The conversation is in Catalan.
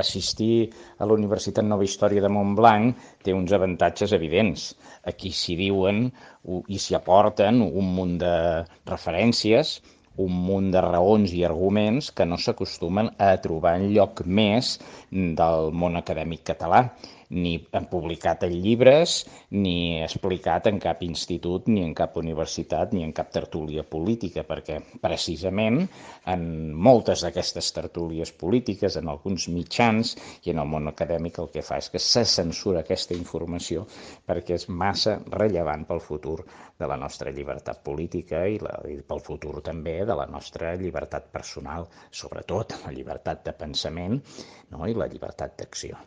assistir a la Universitat Nova Història de Montblanc té uns avantatges evidents. Aquí s'hi diuen i s'hi aporten un munt de referències, un munt de raons i arguments que no s'acostumen a trobar en lloc més del món acadèmic català, ni publicat en llibres, ni explicat en cap institut, ni en cap universitat, ni en cap tertúlia política, perquè precisament en moltes d'aquestes tertúlies polítiques, en alguns mitjans i en el món acadèmic, el que fa és que se censura aquesta informació perquè és massa rellevant pel futur de la nostra llibertat política i pel futur també de la nostra llibertat personal, sobretot la llibertat de pensament, no? I la llibertat d'acció.